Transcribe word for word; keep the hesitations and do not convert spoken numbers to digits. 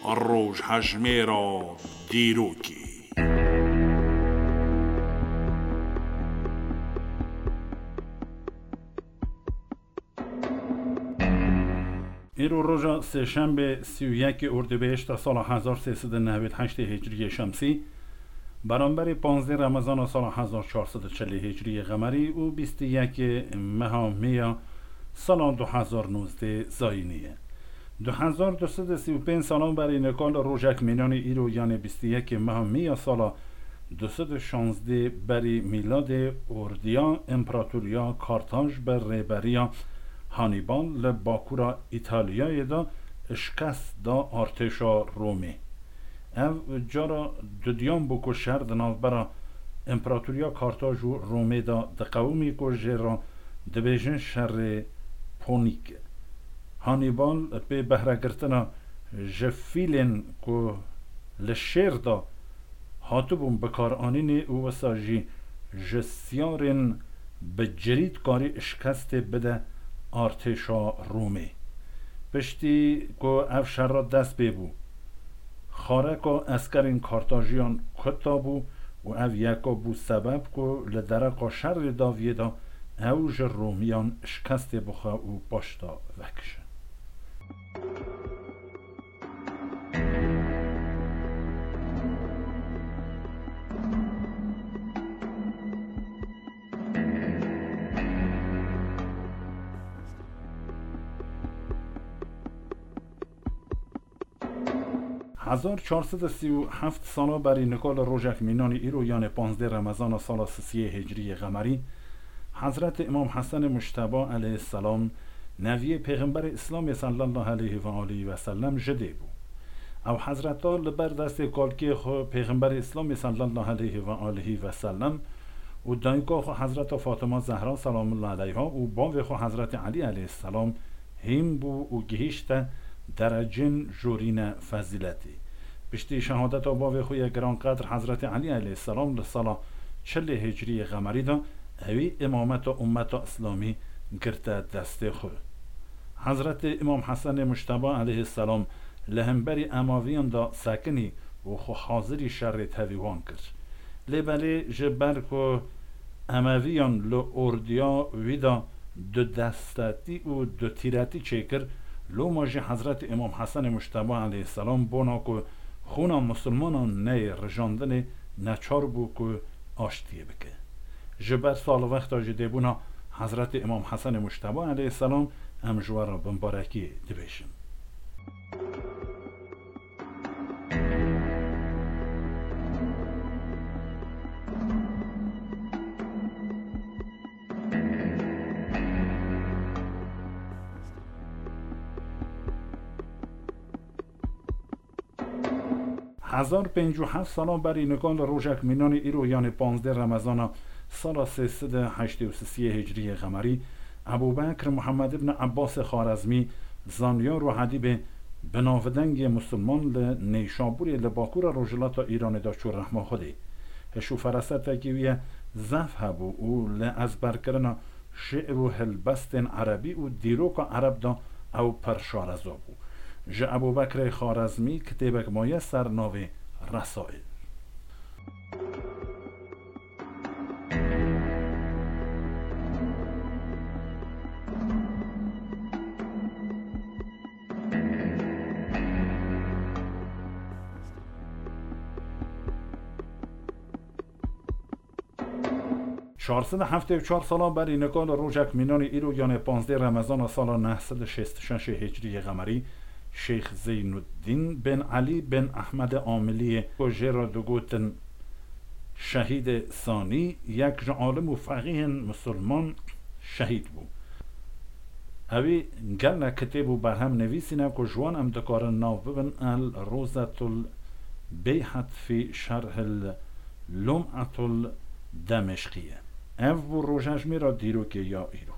Rojhejmêra dîrokê. Îro roja sêşembê sî û yekê Ordîbehişta sala hezar sê sed û newêd heştê Hicriyê Şemsî, beramberî panzdeh Remezana sala hezar çar sed û çelî Hicriyê Qemerî û bîst û yekê meha Mê ya sala du hezar nozdeh Zayînî ye. Du hezar du sed û sî û pênc salan berî nika li rojek mînanî îro, yanê bîst û yekê meha Mê ya sala du sed û şazdeh berî mîladê, ordiya Împaratoriya Kartaj bi rêberiya Hannibal li bakura Îtalyayê de şikest da artêşa Romê. Ev cara dudiyan bû ku şer di navbera Împaratoriya Kartaj û Romê de diqewimî, ku jê re dibêjin şerê Ponîk. Hannibal pê behregirtina ji fîlên ku li şêr de hatibûn bikaranînê û wisa jî ji siyarên bi cirî dikarî şikestê bide artêşa Romê. Piştî ku ev şer re dest pê bû, xareka eskerên Kartajiyan kuta bû û ev yeka bû sebeb ku li dereqa şerê daviyê de ew ji Romiyan şikestê bixwe û paşta vekişe. Hezar çar sed û sî û heft sala berî nika li rojek mînanî îro, yanê panzdeh Remezana sala sisiyê Hicriyê Qemerî, Hezretê Îmam Hesenê Mujteba aleyhisselam, neviyê Pêxemberê Îslamê sallallahu aleyhi ve aleyhi ve sellem, ji dê bû. Ew Hezreta li ber destê kalkê xwe Pêxemberê Îslamê sallallahu aleyhi ve aleyhi ve sellem û dayika xwe Hezreta Fatima Zehra selamullahi aleyha û bavê xwe Hezretê Elî aleyhisselam hîn bû û gihîşte derecên jorîne fezîletê. Piştî şehadeta bavê xwe yê giranqedr Hezretê Elî aleyhisselam li sala çilê Hicriyê Qemerî de ewî îmameta ummeta Îslamî girte destê xwe. Hezretê Îmam Hesenê Mujteba aleyhisselam li hemberî Emaviyan de sekinî û xwe hazirî şerê tevî wan kir. Lê belê ji ber ku Emeviyan li ordiya wî de du destetî û du tîretî çêkir, loma jî Hezretê Îmam Hesenê Mujteba aleyhisselam bona ku xûna misilmanan neyê rijandinê, neçar bû ku aştiyê bike. Ji ber salwexta ji dêbûna Hezretê Îmam Hesenê Mujteba aleyhisselam em ji we re bimbarekiyê dibêjin. Hezar pêncî û heft sala berî nika li rojek mînanî îro, yanê panzdeh Remezana sala sê sed û heştê û sisiyê Hicriyê Qemerî, Ebû Bekr Muhammed ibn Ebbasê Xarezmî, zanyar û edîbê binavdengê misilman, li Neyşabûrê li bakûra rojhilata Îranê de çû rehma Xwedê. Hiş û ferasetekî wî ye zehf hebû û li ezberkirina şi'r û helbestên erebî û dîroka ereb de ew pir şareza bû. Ji Ebû Bekrê Xarezmî kitêbek maye ser navê Resail. Çar sed û heftê û çar sala berî nika li rojek mînanî îro, yanê panzdeh Remezana sala neh sed û şêst û şeş Hicriyê Qemerî, Şêx Zeynuddîn bin Elî bin Ehmedê Amiliyê, ku jê re digotin Şehîdê Sanî, yek ji alim û feqîhên misilman, şehîd bû. Ewî gelek kitêb û berhem nivîsîne ku ji wan em dikarin nav bibin El Rozetul Beyhet fî Şerhil Lum'atul Demeşqî ye. Ev bû rojejmêra dîrokê ya îro.